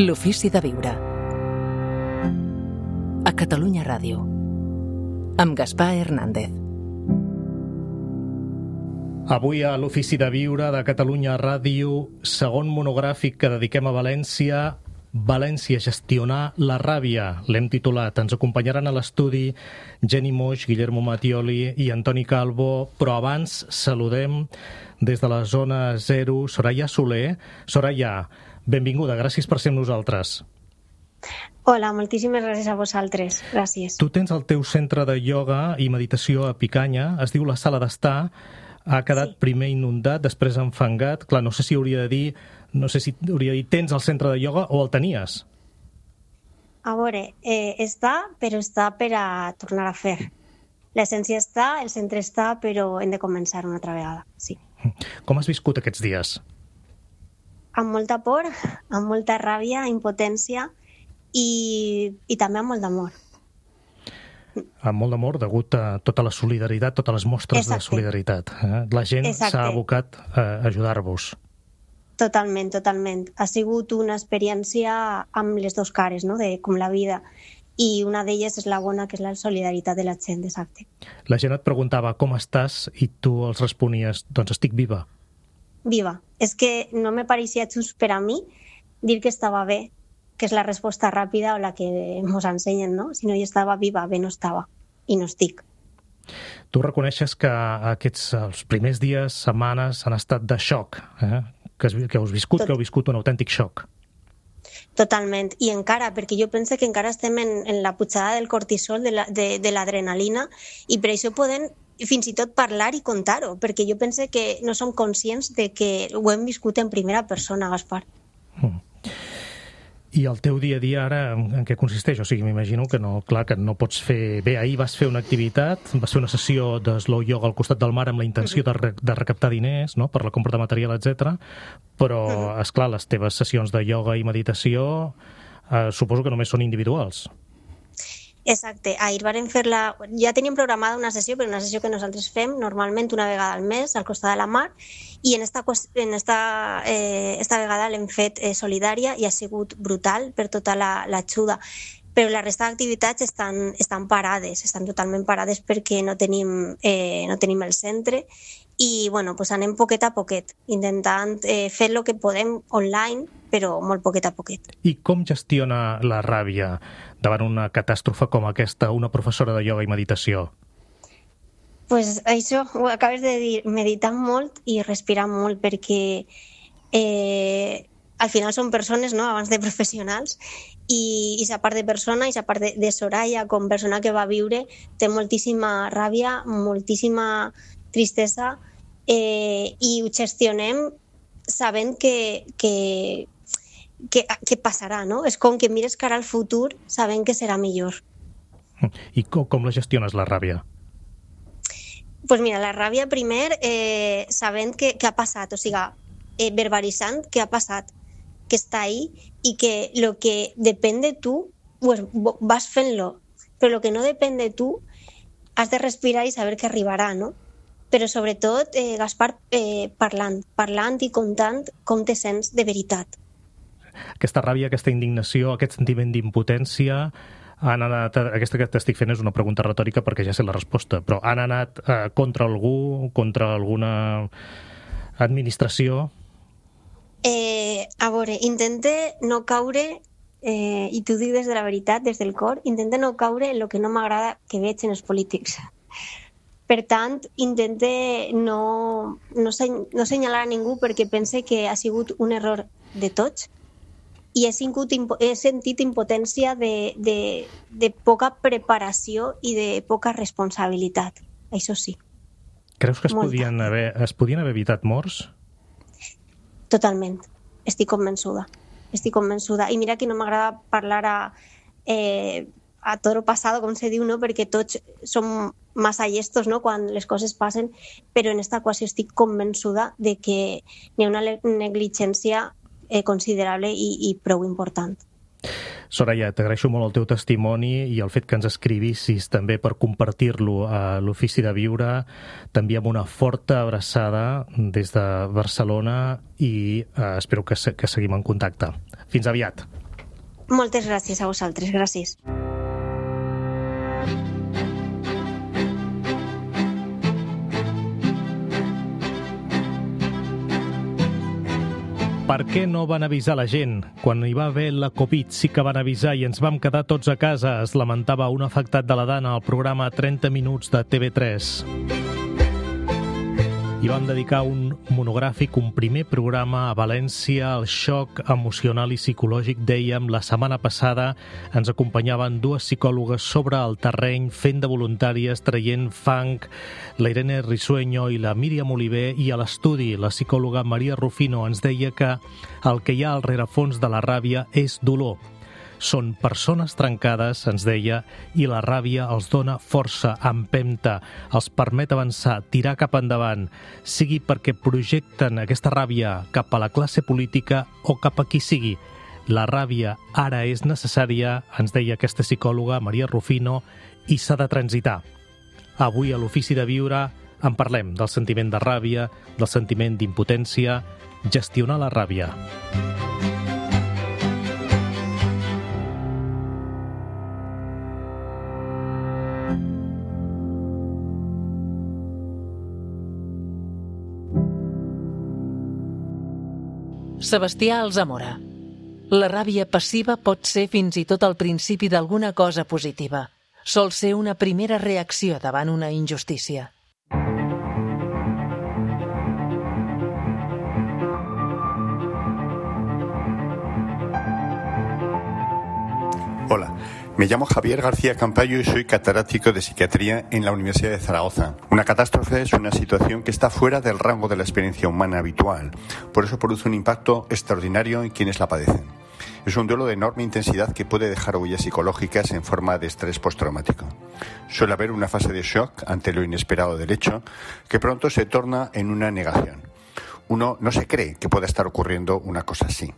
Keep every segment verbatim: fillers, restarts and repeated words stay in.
L'ofici de viure. A Catalunya Ràdio. Amb Gaspar Hernández. Avui a l'Ofici de Viure de Catalunya Ràdio, segon monogràfic que dediquem a València, València, gestionar la ràbia, l'hem titulat. Ens acompanyaran a l'estudi Jenny Moix, Guillermo Mattioli i Antoni Calvo, però abans saludem des de la zona zero Soraya Soler. Soraya, benvinguda, gràcies per ser amb nosaltres. Hola, moltíssimes gràcies a vosaltres, gràcies. Tu tens el teu centre de ioga i meditació a Picanya, es diu la Sala d'Estar, ha quedat sí. primer inundat, després enfangat. Clar, no sé si hauria de dir, no sé si hauria de dir, tens el centre de ioga o el tenies? A veure, eh, està, però està per a tornar a fer. L'essència està, el centre està, però hem de començar una altra vegada, sí. Com has viscut aquests dies? Amb molta por, amb molta ràbia, impotència i, i també amb molt d'amor. Amb molt d'amor, degut a tota la solidaritat, totes les mostres Exacte. de solidaritat. Eh? La gent Exacte. s'ha abocat a ajudar-vos. Totalment, totalment. Ha sigut una experiència amb les dues cares, no?, de com la vida. I una d'elles és la bona, que és la solidaritat de la gent, exacte. La gent et preguntava com estàs i tu els responies, doncs estic viva. Viva. És que no me pareixia just per a mi dir que estava bé, que és la resposta ràpida o la que ens ensenyen, no? Si no jo estava viva, bé no estava. I no estic. Tu reconeixes que aquests els primers dies, setmanes, han estat de xoc, eh? que, has, que heu viscut, Tot... que heu viscut un autèntic xoc. Totalment. I encara, perquè jo penso que encara estem en, en la pujada del cortisol, de, la, de, de l'adrenalina, i per això podem fins i tot parlar i contar-ho, perquè jo penso que no som conscients de que ho hem viscut en primera persona, Gaspar. Mm. I el teu dia a dia ara en, en què consisteix? O sigui, m'imagino que no, clar, que no pots fer... Bé, ahir vas fer una activitat, vas fer una sessió de slow yoga al costat del mar amb la intenció de, re, de recaptar diners, no?, per la compra de material, etcètera. Però, uh-huh. esclar, les teves sessions de yoga i meditació eh, suposo que només són individuals. Exacte. Ahir vàrem fer la... Ja teníem programada una sessió, però una sessió que nosaltres fem normalment una vegada al mes al costat de la mar, i en esta, en esta, eh, esta vegada l'hem fet eh, solidària i ha sigut brutal per tota l'ajuda. Però la resta d'activitats estan, estan parades, estan totalment parades perquè no tenim, eh, no tenim el centre i bueno, pues anem poquet a poquet, intentant eh, fer el que podem online, però molt poquet a poquet. I com gestiona la ràbia davant una catàstrofe com aquesta una professora de ioga i meditació? Pues això, ho acabes de dir, meditant molt i respirant molt, perquè eh, al final són persones, no?, abans de professionals, i aquesta part de persona, aquesta part de, de Soraya com persona que va viure, té moltíssima ràbia, moltíssima tristesa, eh, i ho gestionem sabent que, que, que, que passarà, no? És com que mires cara al futur sabent que serà millor. I com, com la gestiones, la ràbia? Pues mira, la ràbia primer eh, sabent que, que ha passat, o sigui, eh, verbalitzant que ha passat, que està ahí i que el que depèn de tu pues, vas fent-lo, però el que no depèn de tu has de respirar i saber que arribarà, no? Però sobretot, eh, Gaspar, eh, parlant, parlant i contant com te sents de veritat. Aquesta ràbia, aquesta indignació, aquest sentiment d'impotència, han anat, aquesta que t'estic fent és una pregunta retòrica perquè ja sé la resposta, però han anat eh, contra algú, contra alguna administració? Eh, a veure, intente no caure, eh, i t'ho dic des de la veritat, des del cor, intente no caure en el que no m'agrada que veig en els polítics. Per tant, intente no, no, sen, no senyalar a ningú perquè pense que ha sigut un error de tots i he, singut, he sentit impotència de, de, de poca preparació i de poca responsabilitat. Això sí. Creus que es podien, haver, es podien haver evitat morts? Totalment. Estic convençuda. Estic convençuda. I mira que no m'agrada parlar a, eh, a toro passado, com se diu, no? Perquè tots som massa llestos, no?, quan les coses passen, però en esta equació estic convençuda de que hi ha una negligència eh, considerable i, i prou important. Soraya, t'agraeixo molt el teu testimoni i el fet que ens escrivissis també per compartir-lo a l'Ofici de Viure. T'enviem una forta abraçada des de Barcelona i eh, espero que, que seguim en contacte. Fins aviat. Moltes gràcies a vosaltres, gràcies. Per què no van avisar la gent? Quan hi va haver la Covid sí que van avisar i ens vam quedar tots a casa, es lamentava un afectat de la Dana al programa trenta minuts de T V tres. I vam dedicar un monogràfic, un primer programa a València, al xoc emocional i psicològic, dèiem, la setmana passada ens acompanyaven dues psicòlogues sobre el terreny, fent de voluntàries, traient fang, la Irene Risueño i la Míriam Oliver, i a l'estudi la psicòloga Maria Rufino ens deia que el que hi ha al rerefons de la ràbia és dolor. Són persones trencades, ens deia, i la ràbia els dona força, empenta, els permet avançar, tirar cap endavant, sigui perquè projecten aquesta ràbia cap a la classe política o cap a qui sigui. La ràbia ara és necessària, ens deia aquesta psicòloga, Maria Rufino, i s'ha de transitar. Avui a l'Ofici de Viure en parlem del sentiment de ràbia, del sentiment d'impotència, gestionar la ràbia. Sebastià Alzamora. La ràbia passiva pot ser fins i tot el principi d'alguna cosa positiva. Sol ser una primera reacció davant una injustícia. Hola, me llamo Javier García Campayo y soy catedrático de psiquiatría en la Universidad de Zaragoza. Una catástrofe es una situación que está fuera del rango de la experiencia humana habitual. Por eso produce un impacto extraordinario en quienes la padecen. Es un duelo de enorme intensidad que puede dejar huellas psicológicas en forma de estrés postraumático. Suele haber una fase de shock ante lo inesperado del hecho, que pronto se torna en una negación. Uno no se cree que pueda estar ocurriendo una cosa así.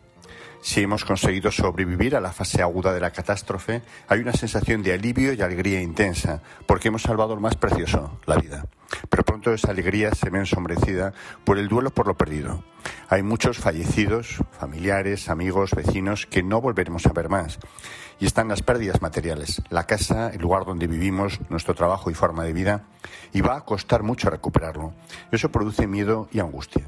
Si hemos conseguido sobrevivir a la fase aguda de la catástrofe, hay una sensación de alivio y alegría intensa, porque hemos salvado lo más precioso, la vida. Pero pronto esa alegría se ve ensombrecida por el duelo por lo perdido. Hay muchos fallecidos, familiares, amigos, vecinos, que no volveremos a ver más. Y están las pérdidas materiales, la casa, el lugar donde vivimos, nuestro trabajo y forma de vida, y va a costar mucho recuperarlo. Eso produce miedo y angustia.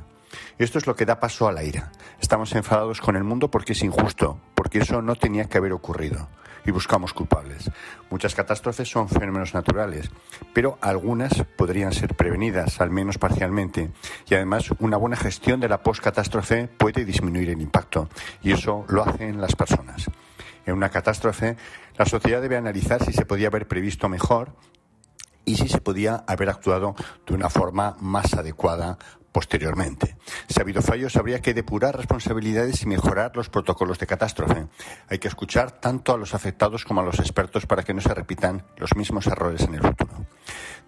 Esto es lo que da paso a la ira. Estamos enfadados con el mundo porque es injusto, porque eso no tenía que haber ocurrido. Y buscamos culpables. Muchas catástrofes son fenómenos naturales, pero algunas podrían ser prevenidas, al menos parcialmente. Y además, una buena gestión de la postcatástrofe puede disminuir el impacto. Y eso lo hacen las personas. En una catástrofe, la sociedad debe analizar si se podía haber previsto mejor y si se podía haber actuado de una forma más adecuada posteriormente. Si ha habido fallos, habría que depurar responsabilidades y mejorar los protocolos de catástrofe. Hay que escuchar tanto a los afectados como a los expertos para que no se repitan los mismos errores en el futuro.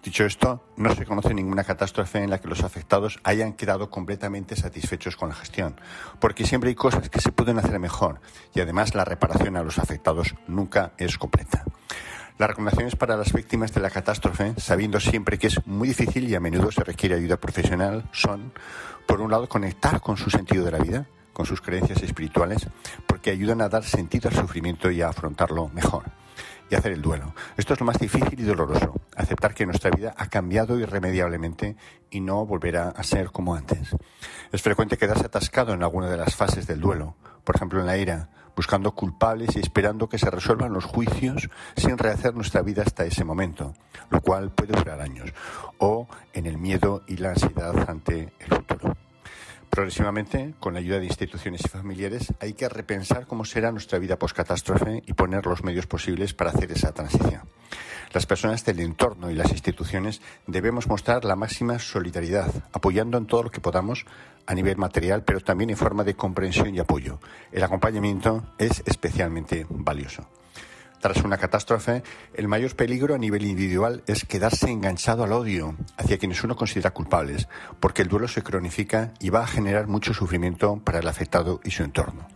Dicho esto, no se conoce ninguna catástrofe en la que los afectados hayan quedado completamente satisfechos con la gestión, porque siempre hay cosas que se pueden hacer mejor y además la reparación a los afectados nunca es completa. Las recomendaciones para las víctimas de la catástrofe, sabiendo siempre que es muy difícil y a menudo se requiere ayuda profesional, son, por un lado, conectar con su sentido de la vida, con sus creencias espirituales, porque ayudan a dar sentido al sufrimiento y a afrontarlo mejor. Y hacer el duelo. Esto es lo más difícil y doloroso, aceptar que nuestra vida ha cambiado irremediablemente y no volverá a ser como antes. Es frecuente quedarse atascado en alguna de las fases del duelo, por ejemplo en la ira, buscando culpables y esperando que se resuelvan los juicios sin rehacer nuestra vida hasta ese momento, lo cual puede durar años, o en el miedo y la ansiedad ante el futuro. Progresivamente, con la ayuda de instituciones y familiares, hay que repensar cómo será nuestra vida post-catástrofe y poner los medios posibles para hacer esa transición. Las personas del entorno y las instituciones debemos mostrar la máxima solidaridad, apoyando en todo lo que podamos a nivel material, pero también en forma de comprensión y apoyo. El acompañamiento es especialmente valioso. Tras una catástrofe, el mayor peligro a nivel individual es quedarse enganchado al odio hacia quienes uno considera culpables, porque el duelo se cronifica y va a generar mucho sufrimiento para el afectado y su entorno.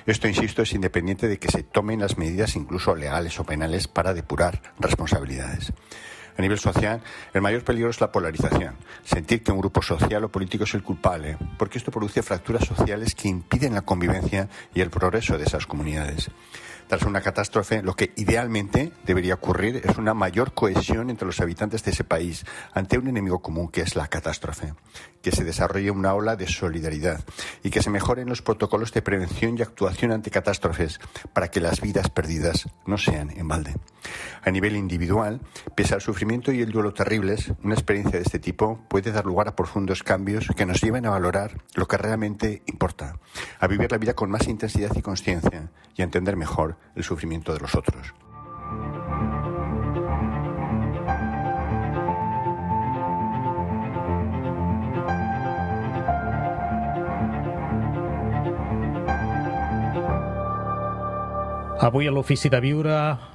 Esto, insisto, es independiente de que se tomen las medidas incluso legales o penales para depurar responsabilidades. A nivel social, el mayor peligro es la polarización, sentir que un grupo social o político es el culpable, porque esto produce fracturas sociales que impiden la convivencia y el progreso de esas comunidades. Tras una catástrofe, lo que idealmente debería ocurrir es una mayor cohesión entre los habitantes de ese país ante un enemigo común que es la catástrofe, que se desarrolle una ola de solidaridad y que se mejoren los protocolos de prevención y actuación ante catástrofes para que las vidas perdidas no sean en balde. A nivel individual, pese al sufrimiento y el duelo terribles, una experiencia de este tipo puede dar lugar a profundos cambios que nos lleven a valorar lo que realmente importa, a vivir la vida con más intensidad y consciencia y a entender mejor el sufrimiento de los otros. Avui a l'Ofici de Viure,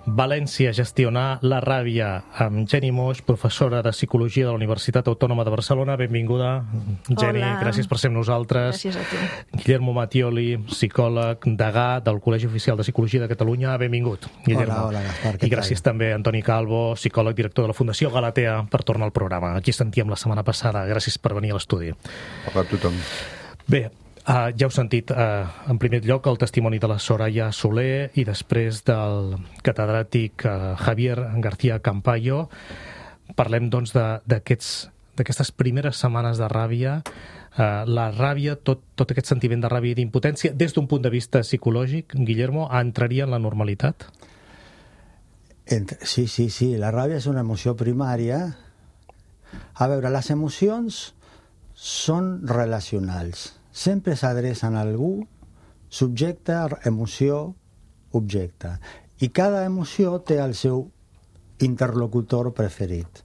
València, gestionar la ràbia, amb Jenny Moix, professora de Psicologia de la Universitat Autònoma de Barcelona. Benvinguda, Jenny. Hola. Gràcies per ser amb nosaltres. Gràcies a tu. Guillermo Mattioli, psicòleg, degà del Col·legi Oficial de Psicologia de Catalunya. Benvingut, Guillermo. Hola, hola, Gaspar. I gràcies també a Antoni Calvo, psicòleg, director de la Fundació Galatea, per tornar al programa. Aquí sentíem la setmana passada. Gràcies per venir a l'estudi. Hola a tothom. Bé, Uh, ja heu sentit, uh, en primer lloc, el testimoni de la Soraya Soler i després del catedràtic uh, Javier García Campayo. Parlem, doncs, d'aquestes d'aquestes primeres setmanes de ràbia, uh, la ràbia, tot, tot aquest sentiment de ràbia i d'impotència, des d'un punt de vista psicològic, Guillermo, entraria en la normalitat? Sí, sí, sí. La ràbia és una emoció primària. A veure, les emocions són relacionals. Sempre s'adrecen a algú, subjecte, emoció, objecte. I cada emoció té el seu interlocutor preferit.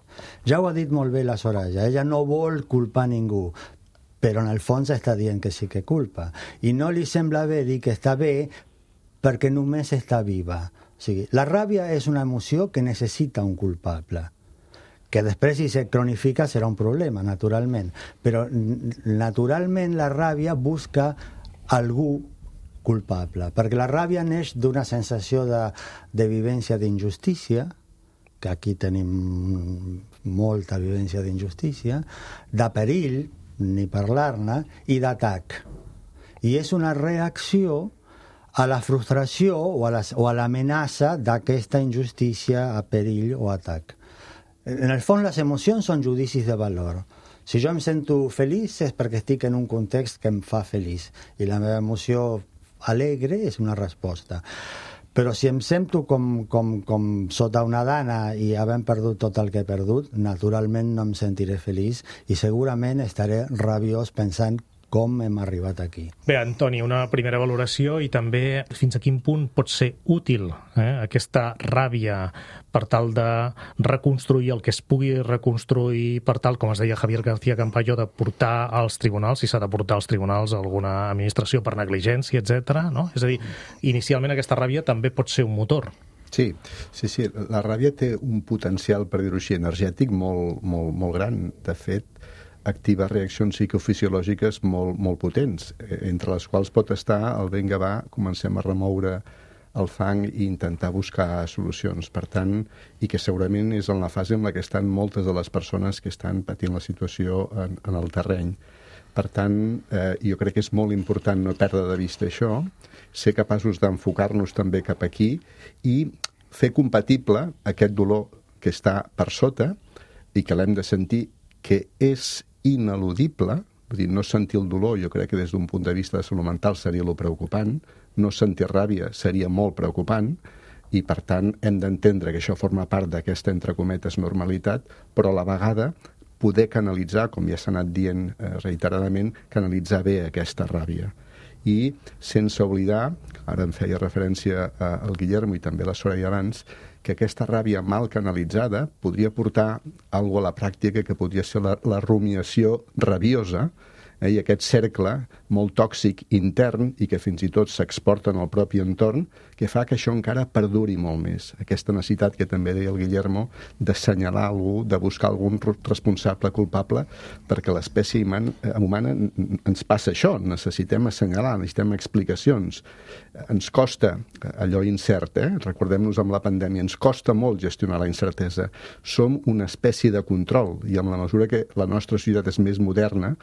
Ja ho ha dit molt bé la Soraya, ella no vol culpar ningú, però en el fons està dient que sí que culpa. I no li sembla bé dir que està bé perquè només està viva. O sigui, la ràbia és una emoció que necessita un culpable. Que després, si se cronifica, serà un problema, naturalment. Però, naturalment, la ràbia busca algú culpable, perquè la ràbia neix d'una sensació de, de vivència d'injustícia, que aquí tenim molta vivència d'injustícia, de perill, ni parlar-ne, i d'atac. I és una reacció a la frustració o a l'amenaça d'aquesta injustícia, a perill o atac. En el fons, les emocions són judicis de valor. Si jo em sento feliç és perquè estic en un context que em fa feliç. I la meva emoció alegre és una resposta. Però si em sento com, com, com sota una dana i havent perdut tot el que he perdut, naturalment no em sentiré feliç i segurament estaré rabiós pensant com hem arribat aquí. Bé, Antoni, una primera valoració i també fins a quin punt pot ser útil eh, aquesta ràbia per tal de reconstruir el que es pugui reconstruir, per tal, com es deia Javier García Campayo, de portar als tribunals, si s'ha de portar als tribunals alguna administració per negligència, etcètera, no? És a dir, inicialment aquesta ràbia també pot ser un motor. Sí, sí, sí. La ràbia té un potencial, per dir-ho així, energètic molt, molt, molt gran. De fet, activa reaccions psicofisiològiques molt, molt potents, entre les quals pot estar el vinga va, comencem a remoure el fang i intentar buscar solucions. Per tant, i que segurament és en la fase en la que estan moltes de les persones que estan patint la situació en, en el terreny. Per tant, eh, jo crec que és molt important no perdre de vista això, ser capaços d'enfocar-nos també cap aquí i fer compatible aquest dolor que està per sota i que l'hem de sentir, que és ineludible, vull dir, no sentir el dolor, jo crec que des d'un punt de vista de salut mental seria lo preocupant, no sentir ràbia seria molt preocupant, i per tant hem d'entendre que això forma part d'aquesta, entre cometes, normalitat, però a la vegada poder canalitzar, com ja s'ha anat dient eh, reiteradament, canalitzar bé aquesta ràbia. I sense oblidar, ara em feia referència al Guillermo i també a la Soraya abans, que aquesta ràbia mal canalitzada podria portar alguna a la pràctica que podria ser la, la rumiació rabiosa, eh, i aquest cercle molt tòxic intern i que fins i tot s'exporta en el propi entorn, que fa que això encara perduri molt més. Aquesta necessitat que també deia el Guillermo d'assenyalar algú, de buscar algun responsable culpable, perquè l'espècie humana ens passa això, necessitem assenyalar, necessitem explicacions. Ens costa allò incert, eh? Recordem-nos amb la pandèmia, ens costa molt gestionar la incertesa. Som una espècie de control i en la mesura que la nostra societat és més moderna,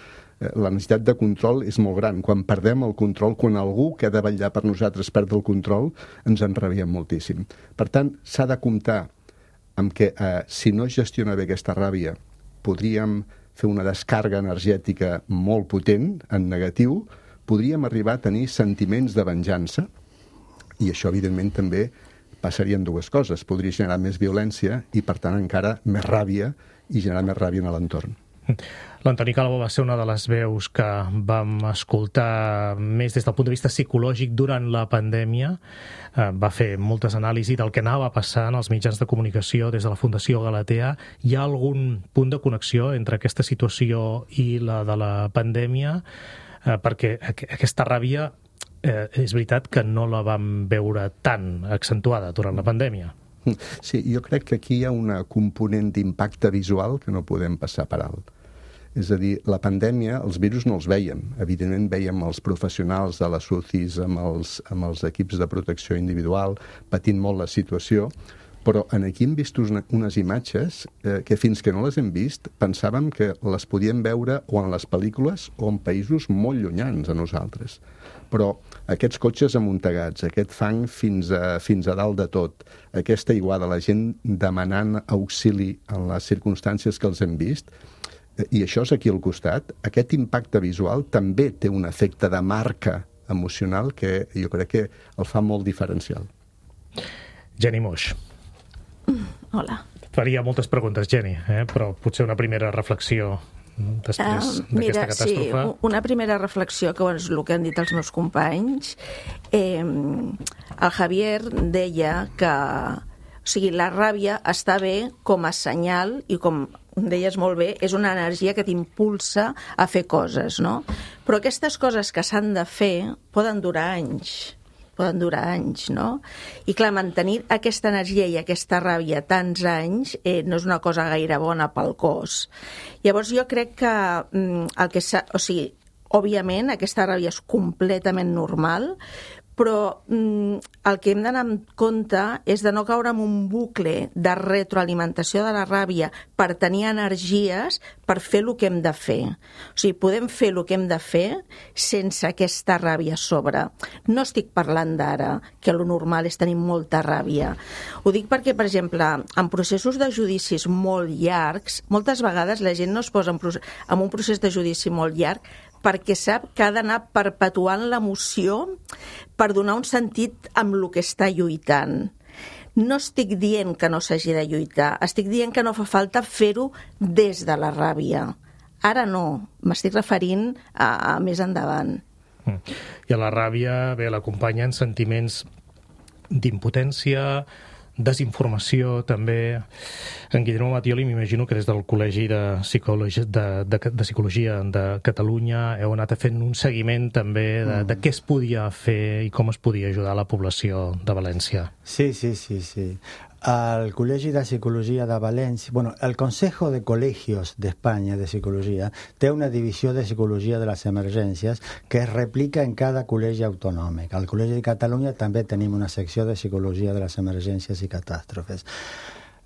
La necessitat de control és molt gran. Quan perdem el control, quan algú que ha de vetllar per nosaltres perd el control, ens enrabiem moltíssim. Per tant, s'ha de comptar amb que eh, si no es gestiona bé aquesta ràbia, podríem fer una descàrrega energètica molt potent, en negatiu, podríem arribar a tenir sentiments de venjança, i això, evidentment, també passarien dues coses. Podria generar més violència i, per tant, encara més ràbia i generar més ràbia en l'entorn. L'Antoni Calvo va ser una de les veus que vam escoltar més des del punt de vista psicològic durant la pandèmia. Va fer moltes anàlisis del que anava passant als mitjans de comunicació des de la Fundació Galatea. Hi ha algun punt de connexió entre aquesta situació i la de la pandèmia? Perquè aquesta ràbia eh, és veritat que no la vam veure tan accentuada durant la pandèmia. Sí, jo crec que aquí hi ha una component d'impacte visual que no podem passar per alt. És a dir, la pandèmia, els virus no els vèiem. Evidentment vèiem els professionals de les U C Is amb els, amb els equips de protecció individual patint molt la situació, però en aquí hem vist una, unes imatges eh, que fins que no les hem vist pensàvem que les podíem veure o en les pel·lícules o en països molt llunyans a nosaltres. Però aquests cotxes amuntegats, aquest fang fins a, fins a dalt de tot, aquesta aiguada, la gent demanant auxili en les circumstàncies que els hem vist, i això és aquí al costat, aquest impacte visual també té un efecte de marca emocional que jo crec que el fa molt diferencial. Jenny Moix. Hola. Faria moltes preguntes, Jenny, eh? Però potser una primera reflexió després uh, d'aquesta catàstrofe. Mira, sí, una primera reflexió, que és el que han dit els meus companys. Eh, el Javier deia que o sigui, la ràbia està bé com a senyal i com deies molt bé, és una energia que t'impulsa a fer coses, no? Però aquestes coses que s'han de fer poden durar anys, poden durar anys, no? I clar, mantenir aquesta energia i aquesta ràbia tants anys eh, no és una cosa gaire bona pel cos. Llavors jo crec que mm, el que s'ha... O sigui, òbviament aquesta ràbia és completament normal, però mm, el que hem d'anar en compte és de no caure en un bucle de retroalimentació de la ràbia per tenir energies per fer el que hem de fer. O sigui, podem fer el que hem de fer sense aquesta ràbia a sobre. No estic parlant d'ara, que lo normal és tenir molta ràbia. Ho dic perquè, per exemple, en processos de judicis molt llargs, moltes vegades la gent no es posa en, procés, en un procés de judici molt llarg perquè sap que ha d'anar perpetuant l'emoció per donar un sentit amb el que està lluitant. No estic dient que no s'hagi de lluitar, estic dient que no fa falta fer-ho des de la ràbia. Ara no, m'estic referint a, a més endavant. I a la ràbia, bé, l'acompanyen sentiments d'impotència, desinformació, també. En Guillermo Mattioli, m'imagino que des del Col·legi de Psicologia de, de, de, Psicologia de Catalunya heu anat fent un seguiment també de, mm. de què es podia fer i com es podia ajudar la població de València. Sí, sí, sí, sí. Al Col·legi de Psicologia de València, bueno, el Consejo de Colegios de España de Psicologia té una divisió de Psicologia de les Emergències que es replica en cada col·legi autonòmic. Al Col·legi de Catalunya també tenim una secció de Psicologia de les Emergències i Catàstrofes.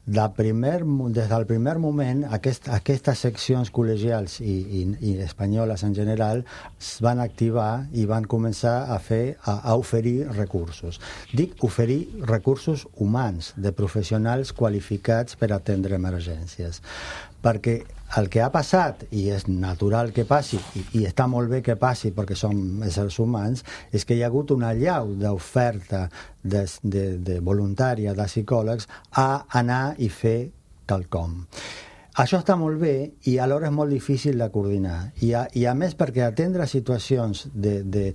De primer, des del primer moment, aquest, aquestes seccions col·legials i, i, i espanyoles en general es van activar i van començar a, fer, a, a oferir recursos. Dic oferir recursos humans, de professionals qualificats per atendre emergències. Perquè el que ha passat, i és natural que passi, i, i està molt bé que passi perquè som éssers humans, és que hi ha hagut una allau d'oferta de, de, de voluntària de psicòlegs a anar i fer quelcom. Això està molt bé i alhora és molt difícil de coordinar. I a, i a més perquè atendre situacions de, de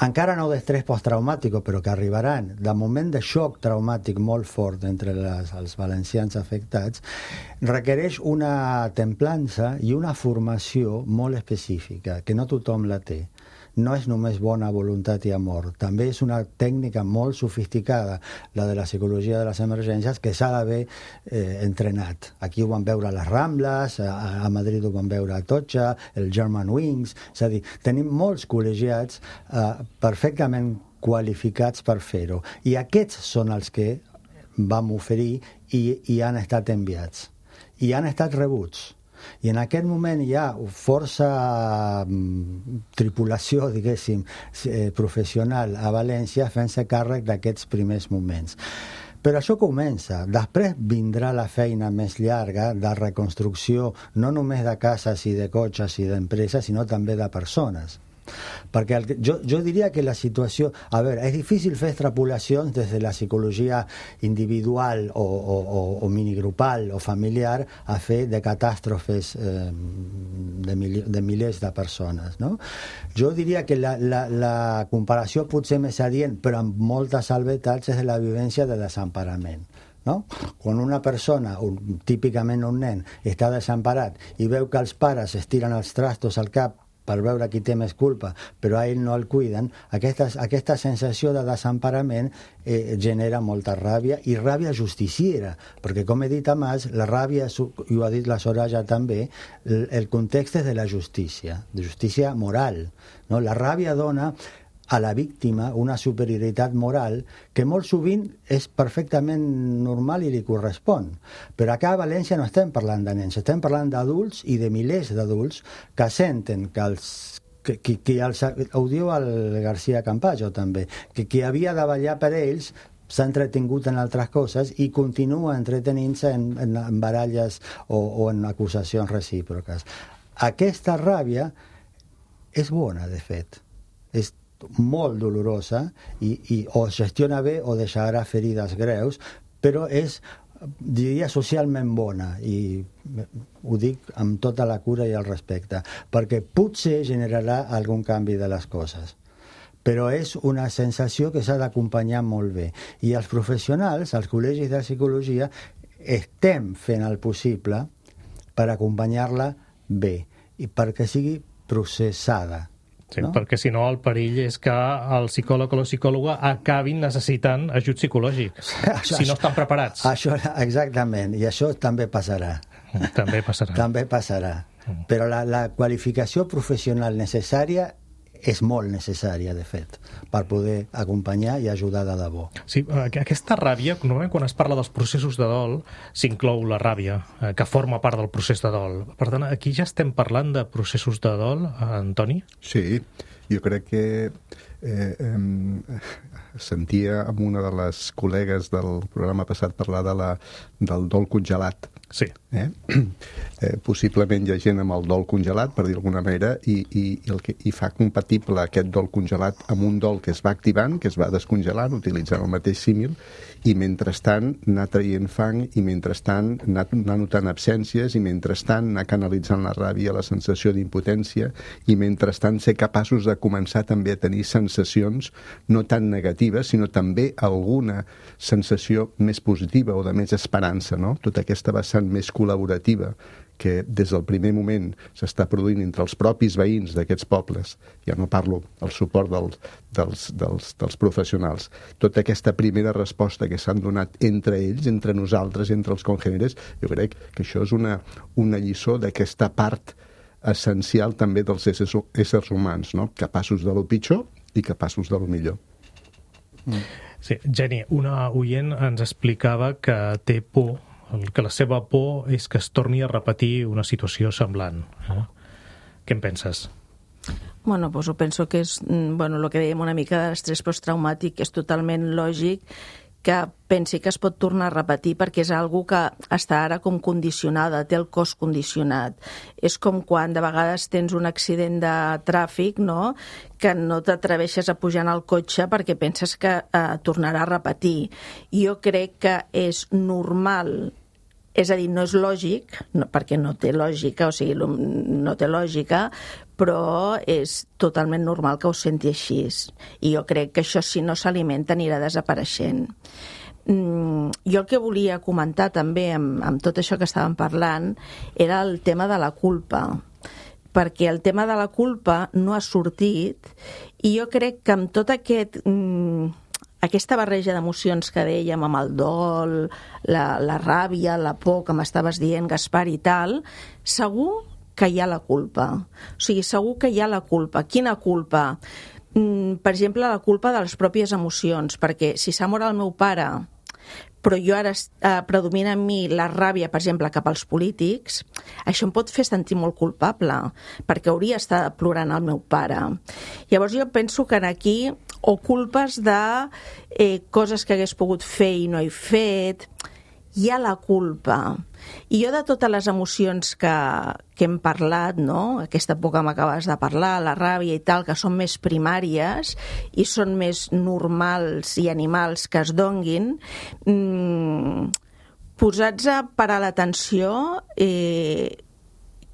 encara no d'estrès posttraumàtic, però que arribaran, de moment de xoc traumàtic molt fort entre les, els valencians afectats, requereix una templança i una formació molt específica, que no tothom la té. No és només bona voluntat i amor, també és una tècnica molt sofisticada, la de la psicologia de les emergències, que s'ha d'haver eh, entrenat. Aquí ho van veure a les Rambles, a, a Madrid ho van veure a Atocha, el German Wings, és a dir, tenim molts col·legiats eh, perfectament qualificats per fer-ho. I aquests són els que vam oferir i, i han estat enviats. I han estat rebuts. I en aquest moment hi ha força tripulació, diguéssim, professional a València fent-se càrrec d'aquests primers moments. Però això comença. Després vindrà la feina més llarga de reconstrucció, no només de cases i de cotxes i d'empreses, sinó també de persones. Perquè el, jo, jo diria que la situació... A veure, és difícil fer extrapolacions des de la psicologia individual o, o, o, o minigrupal o familiar a fer de catàstrofes eh, de, mil, de milers de persones, no? Jo diria que la, la, la comparació potser més adient, però amb moltes salvetats, és de la vivència de desemparament. No? Quan una persona, un, típicament un nen, està desemparat i veu que els pares es tiren els trastos al cap per veure qui té més culpa, però a ell no el cuiden, aquesta, aquesta sensació de desemparament eh, genera molta ràbia, i ràbia justiciera, perquè, com he dit abans, la ràbia, i ho ha dit la Soraya també, el, el context és de la justícia, de justícia moral. No? La ràbia dona a la víctima una superioritat moral que molt sovint és perfectament normal i li correspon. Però acá a València no estem parlant de nens, estem parlant d'adults i de milers d'adults que senten que els que, que, que els, ho diu el García Campayo també, que qui havia de vetllar per ells s'ha entretingut en altres coses i continua entretenint-se en, en, en baralles o, o en acusacions recíproques. Aquesta ràbia és bona, de fet. És molt dolorosa i, i o gestiona bé o deixarà ferides greus, però és, diria, socialment bona, i ho dic amb tota la cura i el respecte, perquè potser generarà algun canvi de les coses. Però és una sensació que s'ha d'acompanyar molt bé. I els professionals, els col·legis de psicologia, estem fent el possible per acompanyar-la bé i perquè sigui processada. Sí, no? Perquè si no el perill és que el psicòleg o la psicòloga acabin necessitant ajut psicològic, això, si no estan preparats. Això, exactament, i això també passarà. També passarà. També passarà. Però la, la qualificació professional necessària és molt necessària, de fet, per poder acompanyar i ajudar de debò. Sí, aquesta ràbia, normalment quan es parla dels processos de dol, s'inclou la ràbia, que forma part del procés de dol. Per tant, aquí ja estem parlant de processos de dol, Antoni? Sí, jo crec que eh, eh, sentia amb una de les col·legues del programa passat parlar de la, del dol congelat. Sí. Eh? Eh, possiblement hi ha gent amb el dol congelat, per dir d'alguna manera, i, i, i, el que, i fa compatible aquest dol congelat amb un dol que es va activant, que es va descongelant, utilitzant el mateix símil, i mentrestant anar traient fang, i mentrestant anar, anar notant absències, i mentrestant anar canalitzant la ràbia, la sensació d'impotència, i mentrestant ser capaços de començar també a tenir sensacions no tan negatives, sinó també alguna sensació més positiva o de més esperança, no? Tota aquesta vessant més col·laborativa que des del primer moment s'està produint entre els propis veïns d'aquests pobles, ja no parlo del suport dels, dels, dels, dels professionals, tota aquesta primera resposta que s'han donat entre ells, entre nosaltres, entre els congèneres, jo crec que això és una, una lliçó d'aquesta part essencial també dels éssers, éssers humans, no? Capaços de lo pitjor i capaços de lo millor. Mm. Sí, Jenny, una oient ens explicava que té por, que la seva por és que es torni a repetir una situació semblant. Eh? Què en penses? Bueno, pues ho penso que és, bueno, el que dèiem una mica de l'estrès posttraumàtic, és totalment lògic que pensi que es pot tornar a repetir perquè és algo que està ara com condicionada, té el cos condicionat. És com quan de vegades tens un accident de tràfic, no?, que no t'atreveixes a pujar en el cotxe perquè penses que eh, tornarà a repetir. Jo crec que és normal, és a dir, no és lògic, no, perquè no té lògica, o sigui, no té lògica, però és totalment normal que ho senti així. I jo crec que això, si no s'alimenta, anirà desapareixent. Mm, jo el que volia comentar també amb, amb tot això que estàvem parlant era el tema de la culpa, perquè el tema de la culpa no ha sortit, i jo crec que amb tot aquest... Mm, aquesta barreja d'emocions que dèiem amb el dol, la, la ràbia, la por, que m'estaves dient, Gaspar, i tal, segur que hi ha la culpa. O sigui, segur que hi ha la culpa. Quina culpa? Mm, per exemple, la culpa de les pròpies emocions, perquè si s'ha mort el meu pare però jo ara eh, predomina en mi la ràbia, per exemple, cap als polítics, això em pot fer sentir molt culpable, perquè hauria estat plorant el meu pare. Llavors jo penso que aquí o culpes de eh, coses que hagués pogut fer i no he fet, hi ha la culpa. I jo de totes les emocions que, que hem parlat, no? Aquesta por que m'acabes de parlar, la ràbia i tal, que són més primàries i són més normals i animals que es donguin, mmm, posats a parar l'atenció, eh,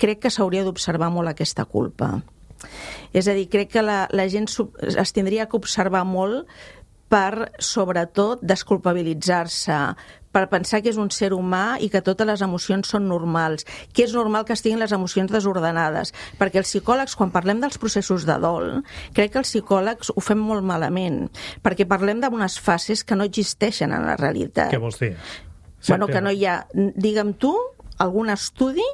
crec que s'hauria d'observar molt aquesta culpa. És a dir, crec que la, la gent es tindria que observar molt per, sobretot, desculpabilitzar-se, per pensar que és un ser humà i que totes les emocions són normals, que és normal que estiguin les emocions desordenades, perquè els psicòlegs, quan parlem dels processos de dol, crec que els psicòlegs ho fem molt malament, perquè parlem d'unes fases que no existeixen en la realitat. Què vols dir? Bueno, que no hi ha, digue'm tu, algun estudi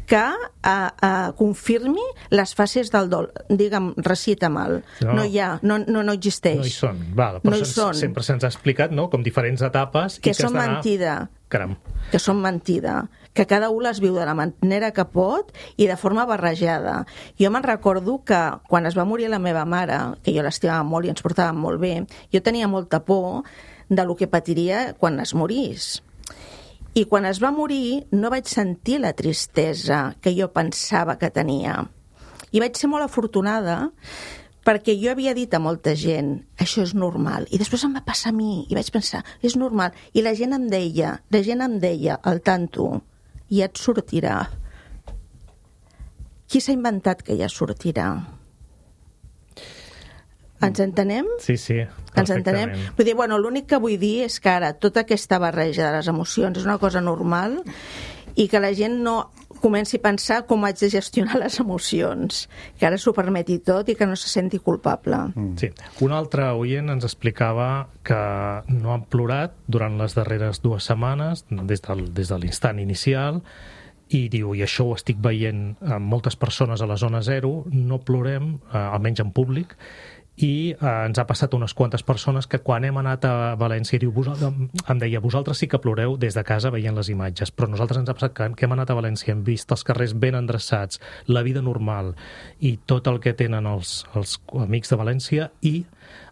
que uh, uh, confirmi les fases del dol. Digue'm, recita mal. No, no hi ha, no, no, no existeix. No hi són. Val, però no hi són. Sempre se'ns ha explicat, no?, com diferents etapes. Que, i que són mentida. Caram. Que són mentida. Que cada un les viu de la manera que pot i de forma barrejada. Jo me'n recordo que quan es va morir la meva mare, que jo l'estimava molt i ens portàvem molt bé, jo tenia molta por de lo que patiria quan es morís. I quan es va morir no vaig sentir la tristesa que jo pensava que tenia. I vaig ser molt afortunada perquè jo havia dit a molta gent això és normal. I després em va passar a mi i vaig pensar, és normal. I la gent em deia, la gent em deia, al tanto, ja et sortirà. Qui s'ha inventat que ja sortirà? Ens entenem? Sí, sí, Ens entenem? Vull dir, bueno, l'únic que vull dir és que ara tota aquesta barreja de les emocions és una cosa normal i que la gent no comenci a pensar com haig de gestionar les emocions, que ara s'ho permeti tot i que no se senti culpable. Sí. Un altre oient ens explicava que no han plorat durant les darreres dues setmanes, des del, des de l'instant inicial, i diu, i això ho estic veient amb moltes persones a la zona zero, no plorem, eh, almenys en públic, i eh, ens ha passat unes quantes persones que quan hem anat a València diu, em deia, vosaltres sí que ploreu des de casa veient les imatges, però nosaltres ens ha passat que, que hem anat a València, hem vist els carrers ben endreçats, la vida normal i tot el que tenen els, els amics de València, i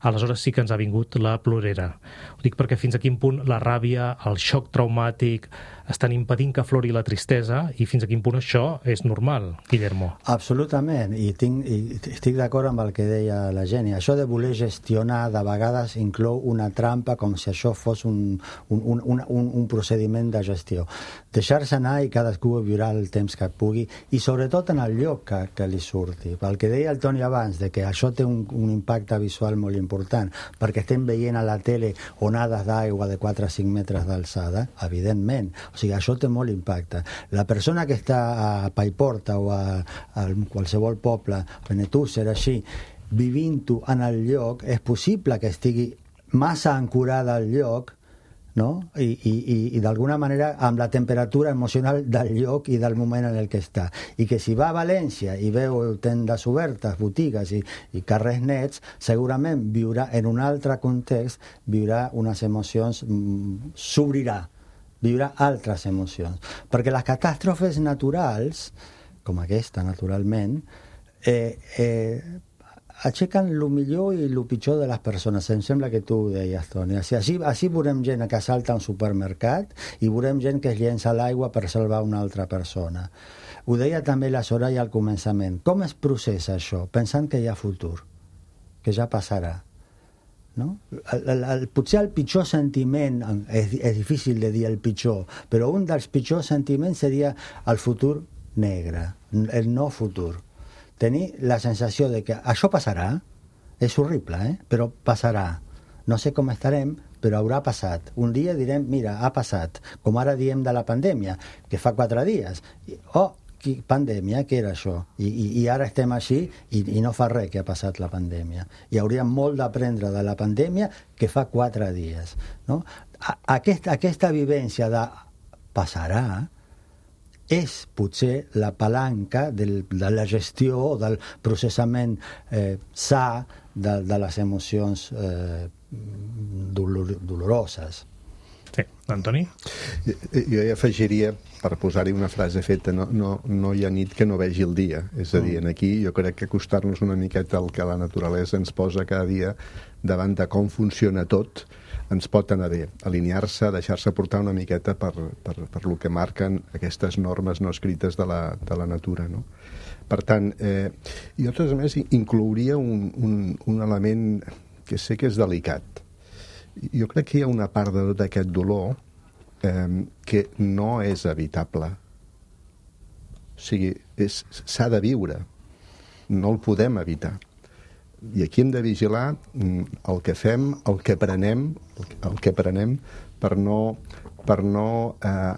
aleshores sí que ens ha vingut la plorera. Ho dic perquè fins a quin punt la ràbia, el xoc traumàtic estan impedint que aflori la tristesa i fins a quin punt això és normal, Guillermo. Absolutament, i, tinc, i estic d'acord amb el que deia la Jenny. Això de voler gestionar de vegades inclou una trampa com si això fos un, un, un, un, un procediment de gestió. Deixar-se anar i cadascú viurà el temps que pugui i sobretot en el lloc que, que li surti. El que deia el Toni abans, de que això té un, un impacte visual molt important, perquè estem veient a la tele onades d'aigua de quatre a cinc metres d'alçada, evidentment. O sigui, això té molt impacte. La persona que està a Paiporta o a, a qualsevol poble, Benetússer, així, vivint-ho en el lloc, és possible que estigui massa ancorada al lloc, no? I, i, i, i d'alguna manera amb la temperatura emocional del lloc i del moment en el que està. I que si va a València i veu tendes obertes, botigues i, i carrers nets, segurament viurà en un altre context, viurà unes emocions, s'obrirà, viurà altres emocions. Perquè les catàstrofes naturals, com aquesta, naturalment, eh, eh, aixequen el millor i el pitjor de les persones. Em sembla que tu ho deies, Toni. Així, així veurem gent que salta a un supermercat i veurem gent que es llença a l'aigua per salvar una altra persona. Ho deia també la Soraya al començament. Com es processa això? Pensant que hi ha futur, que ja passarà. No? El, el, el, potser el pitjor sentiment, és, és difícil de dir el pitjor, però un dels pitjors sentiments seria el futur negre, el no futur. Tenir la sensació de que això passarà, és horrible, eh? Però passarà. No sé com estarem, però haurà passat. Un dia direm, mira, ha passat, com ara diem de la pandèmia, que fa quatre dies. Oh, pandèmia, què era això? I, i, i ara estem així i, i no fa res que ha passat la pandèmia. I hauríem molt d'aprendre de la pandèmia que fa quatre dies. No? Aquesta, aquesta vivència de passarà és potser la palanca del, de la gestió, del processament eh, sa de, de les emocions eh, dolor, doloroses. Sí, Antoni? Jo, jo hi afegiria, per posar-hi una frase feta, no, no, no hi ha nit que no vegi el dia. És a dir, aquí jo crec que acostar-nos una miqueta al que la naturalesa ens posa cada dia davant de com funciona tot, ens pot anar bé. Alinear-se, deixar-se portar una miqueta per, per, per lo que marquen aquestes normes no escrites de la, de la natura, no? Per tant, eh, jo, a més, inclouria un, un, un element que sé que és delicat. Jo crec que hi ha una part de tot aquest dolor eh, que no és evitable. O sigui, s'ha de viure. No el podem evitar. I aquí hem de vigilar el que fem, el que prenem, el que prenem per no, per no eh,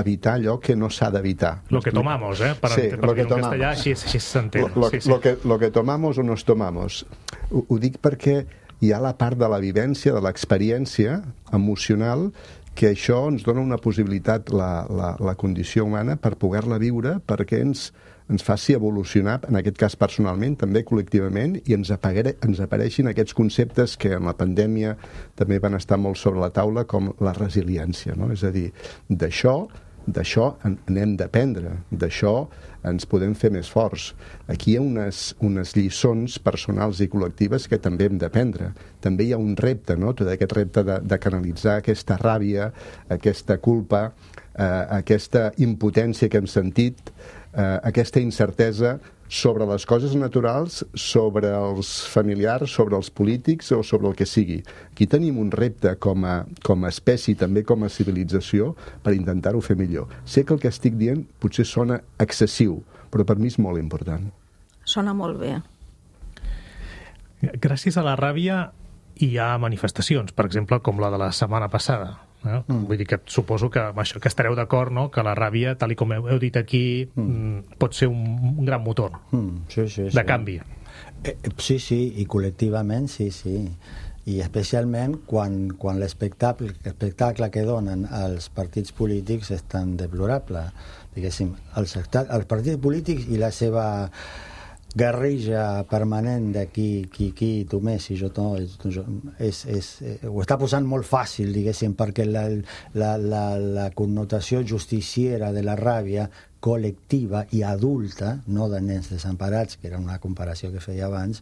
evitar allò que no s'ha d'evitar. Lo que tomamos, eh? Per, sí, per lo que en castellà així, així s'entén. Lo, sí, sí. lo, que, lo que tomamos o nos tomamos. Ho, ho dic perquè hi ha la part de la vivència, de l'experiència emocional, que això ens dona una possibilitat, la, la, la condició humana, per poder-la viure, perquè ens, ens faci evolucionar, en aquest cas personalment, també col·lectivament, i ens, apagare, ens apareixin aquests conceptes que en la pandèmia també van estar molt sobre la taula, com la resiliència, no? És a dir, d'això d'això n'hem d'aprendre, d'això ens podem fer més forts. Aquí hi ha unes, unes lliçons personals i col·lectives que també hem d'aprendre. També hi ha un repte, no? Tot aquest repte de, de canalitzar aquesta ràbia, aquesta culpa, eh, aquesta impotència que hem sentit, eh, aquesta incertesa sobre les coses naturals, sobre els familiars, sobre els polítics o sobre el que sigui. Aquí tenim un repte com a, com a espècie, també com a civilització, per intentar-ho fer millor. Sé que el que estic dient potser sona excessiu, però per mi és molt important. Sona molt bé. Gràcies a la ràbia hi ha manifestacions, per exemple, com la de la setmana passada. Eh? Mm. Vull dir que suposo que, això, que estareu d'acord, no? Que la ràbia, tal i com heu, heu dit aquí, mm. pot ser un, un gran motor mm, sí, sí, de sí. canvi. Eh, sí, sí, i col·lectivament sí, sí. I especialment quan, quan l'espectacle l'espectacle que donen els partits polítics és tan deplorable. Diguéssim, els, els partits polítics i la seva guerrilla permanent de qui, qui, qui tu més i jo no, és, és, ho està posant molt fàcil, diguéssim, perquè la, la, la, la connotació justiciera de la ràbia col·lectiva i adulta, no de nens desemparats, que era una comparació que feia abans,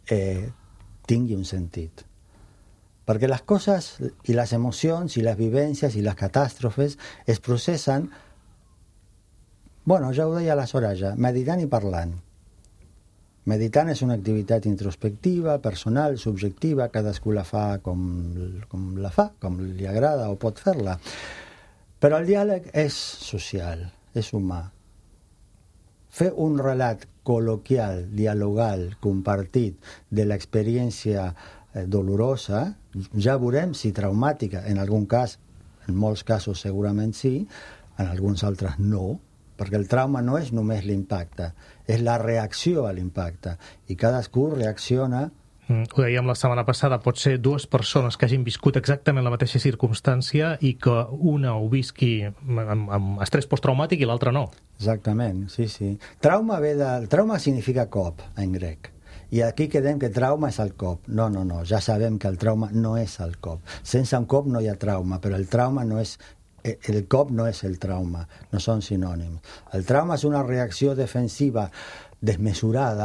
eh, tingui un sentit. Perquè les coses i les emocions i les vivències i les catàstrofes es processen, bueno, ja ho deia la Soraya, meditant i parlant. Meditant és una activitat introspectiva, personal, subjectiva, cadascú la fa com, com la fa, com li agrada o pot fer-la. Però el diàleg és social, és humà. Fer un relat col·loquial, dialogal, compartit de l'experiència dolorosa, ja veurem si traumàtica, en algun cas, en molts casos segurament sí, en alguns altres no, perquè el trauma no és només l'impacte, és la reacció a l'impacte, i cadascú reacciona. Mm, ho dèiem la setmana passada, pot ser dues persones que hagin viscut exactament la mateixa circumstància i que una ho visqui amb, amb estrès posttraumàtic i l'altra no. Exactament, sí, sí. Trauma ve de... Trauma significa cop, en grec. I aquí quedem que trauma és el cop. No, no, no, ja sabem que el trauma no és el cop. Sense un cop no hi ha trauma, però el trauma no és... El cop no és el trauma, no són sinònims. El trauma és una reacció defensiva desmesurada,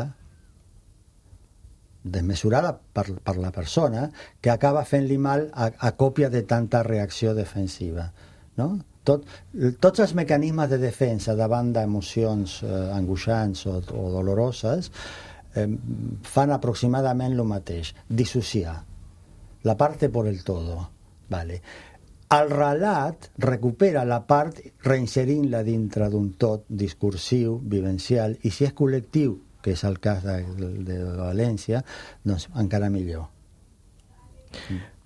desmesurada per, per la persona, que acaba fent-li mal a, a còpia de tanta reacció defensiva. No? Tot, tots els mecanismes de defensa davant d'emocions eh, angoixants o, o doloroses eh, fan aproximadament el mateix, dissociar. La parte por el todo. Vale. El relat recupera la part reinserint-la dintre d'un tot discursiu, vivencial, i si és col·lectiu, que és el cas de, de, de València, doncs encara millor.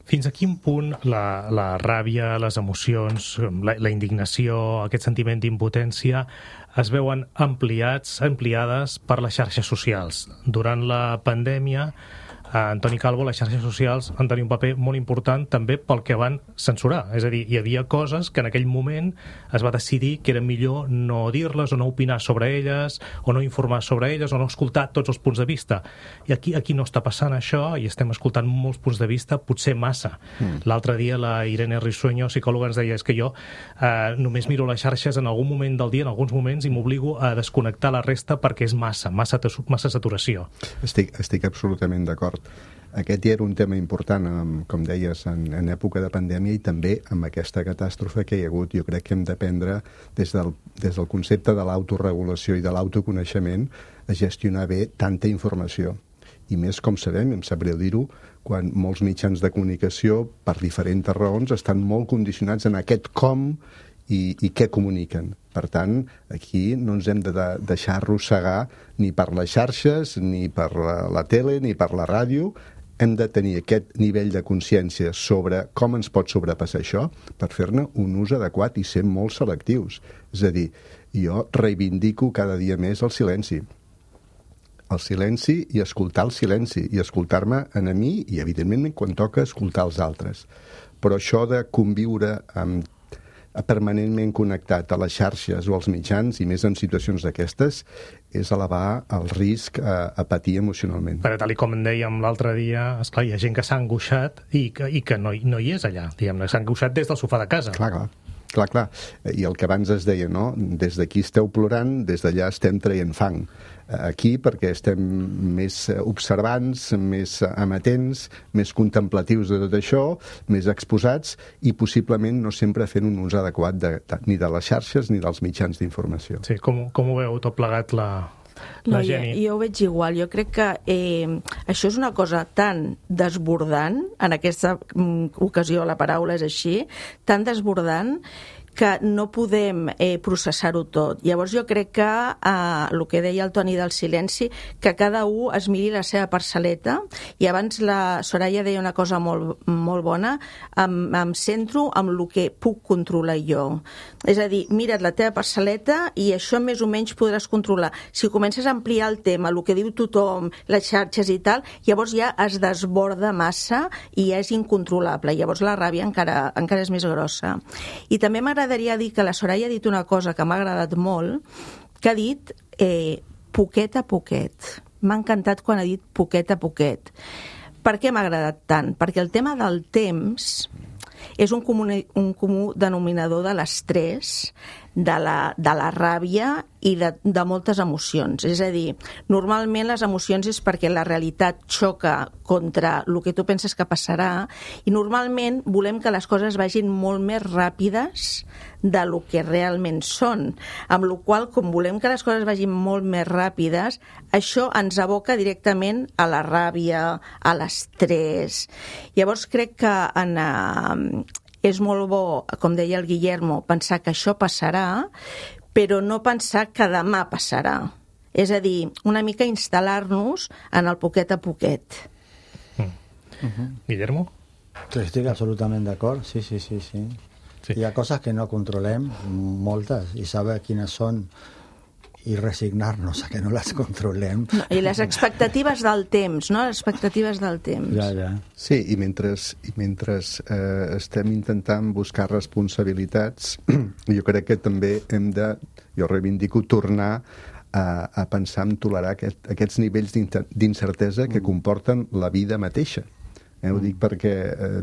Fins a quin punt la, la ràbia, les emocions, la, la indignació, aquest sentiment d'impotència es veuen ampliats, ampliades per les xarxes socials? Durant la pandèmia a Antoni Calvo, les xarxes socials han tenir un paper molt important també pel que van censurar. És a dir, hi havia coses que en aquell moment es va decidir que era millor no dir-les o no opinar sobre elles o no informar sobre elles o no escoltar tots els punts de vista. I aquí, aquí no està passant això i estem escoltant molts punts de vista, potser massa. Mm. L'altre dia la Irene Risueño, psicòloga, ens deia és que jo eh, només miro les xarxes en algun moment del dia, en alguns moments, i m'obligo a desconnectar la resta perquè és massa, massa, massa saturació. Estic, estic absolutament d'acord. Aquest ja era un tema important, com deies, en, en època de pandèmia i també amb aquesta catàstrofe que hi ha hagut. Jo crec que hem d'aprendre des del, des del concepte de l'autoregulació i de l'autoconeixement a gestionar bé tanta informació. I més, com sabem, em sap greu dir-ho, quan molts mitjans de comunicació, per diferents raons, estan molt condicionats en aquest com i, i què comuniquen. Per tant, aquí no ens hem de, de deixar arrossegar ni per les xarxes, ni per la, la tele, ni per la ràdio. Hem de tenir aquest nivell de consciència sobre com ens pot sobrepassar això per fer-ne un ús adequat i ser molt selectius. És a dir, jo reivindico cada dia més el silenci. El silenci i escoltar el silenci, i escoltar-me a mi i, evidentment, quan toca escoltar els altres. Però això de conviure amb permanentment connectat a les xarxes o als mitjans, i més en situacions d'aquestes, és elevar el risc a, a patir emocionalment. Però tal com en dèiem l'altre dia, esclar, hi ha gent que s'ha angoixat i que, i que no, no hi és allà, diguem-ne, s'ha angoixat des del sofà de casa. Clar, clar. Clar, clar. I el que abans es deia, no? Des d'aquí esteu plorant, des d'allà estem traient fang. Aquí perquè estem més observants, més amatents, més contemplatius de tot això, més exposats i possiblement no sempre fent un ús adequat de, de, ni de les xarxes ni dels mitjans d'informació. Sí, com, com ho veu tot plegat la... No, jo, jo ho veig igual. Jo crec que eh, això és una cosa tan desbordant, en aquesta ocasió la paraula és així, tan desbordant que no podem eh, processar-ho tot. Llavors jo crec que eh, el que deia el Toni del silenci, que cada un es miri la seva parcel·leta, i abans la Soraya deia una cosa molt, molt bona, em, em centro en el que puc controlar jo. És a dir, mira't la teva parcel·leta i això més o menys podràs controlar. Si comences a ampliar el tema, el que diu tothom, les xarxes i tal, llavors ja es desborda massa i ja és incontrolable. Llavors la ràbia encara, encara és més grossa. I també m'agrada M'agradaria dir que la Soraya ha dit una cosa que m'ha agradat molt, que ha dit eh, poquet a poquet. M'ha encantat quan ha dit poquet a poquet. Per què m'ha agradat tant? Perquè el tema del temps és un comú, un comú denominador de l'estrès, de la, de la ràbia i de, de moltes emocions. És a dir, normalment les emocions és perquè la realitat xoca contra el que tu penses que passarà i normalment volem que les coses vagin molt més ràpides de lo que realment són. Amb la qual cosa, com volem que les coses vagin molt més ràpides, això ens aboca directament a la ràbia, a l'estrès. Llavors crec que en... Uh, és molt bo, com deia el Guillermo, pensar que això passarà, però no pensar que demà passarà. És a dir, una mica instal·lar-nos en el poquet a poquet. Mm. Uh-huh. Guillermo? Estic absolutament d'acord, sí, sí, sí, sí. Sí. Hi ha coses que no controlem, moltes, i saber quines són i resignar-nos a que no les controlem. No, i les expectatives del temps, no? Les expectatives del temps. Ja, ja. Sí, i mentre, i mentre eh, estem intentant buscar responsabilitats, jo crec que també hem de, jo reivindico, tornar a, a pensar en tolerar aquest, aquests nivells d'incertesa que comporten la vida mateixa. Eh, ho dic perquè eh,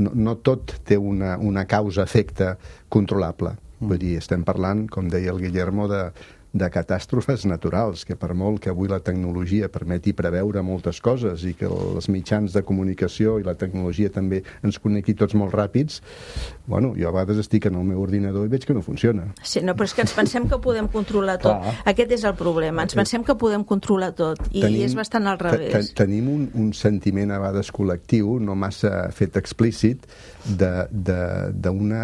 no, no tot té una, una causa-efecte controlable. Vull dir, estem parlant, com deia el Guillermo, de de catàstrofes naturals, que per molt que avui la tecnologia permeti preveure moltes coses i que els mitjans de comunicació i la tecnologia també ens connecti tots molt ràpids, bueno, jo a vegades estic en el meu ordinador i veig que no funciona. Sí, no, però és que ens pensem que podem controlar tot. Clar. Aquest és el problema, ens pensem que podem controlar tot i tenim, és bastant al revés. Tenim un, un sentiment a vegades col·lectiu, no massa fet explícit, d'una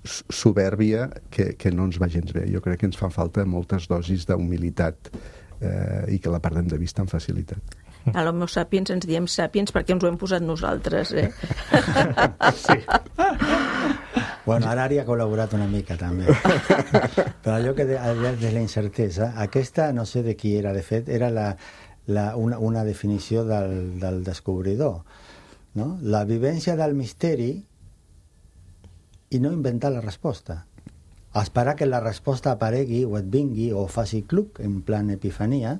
soberbia que, que no ens va gens bé. Jo crec que ens fan falta moltes dosis d'humilitat eh, i que la perdem de vista amb facilitat. A l'Homo sapiens ens diem sapiens perquè ens ho hem posat nosaltres, eh? Sí. Bueno, ara hi ha col·laborat una mica, també. Però allò que de, de la incertesa, aquesta no sé de qui era, de fet, era la, la, una, una definició del, del descobridor, no? La vivència del misteri i no inventar la resposta. Esperar que la resposta aparegui o et vingui o faci cluc en plan epifania,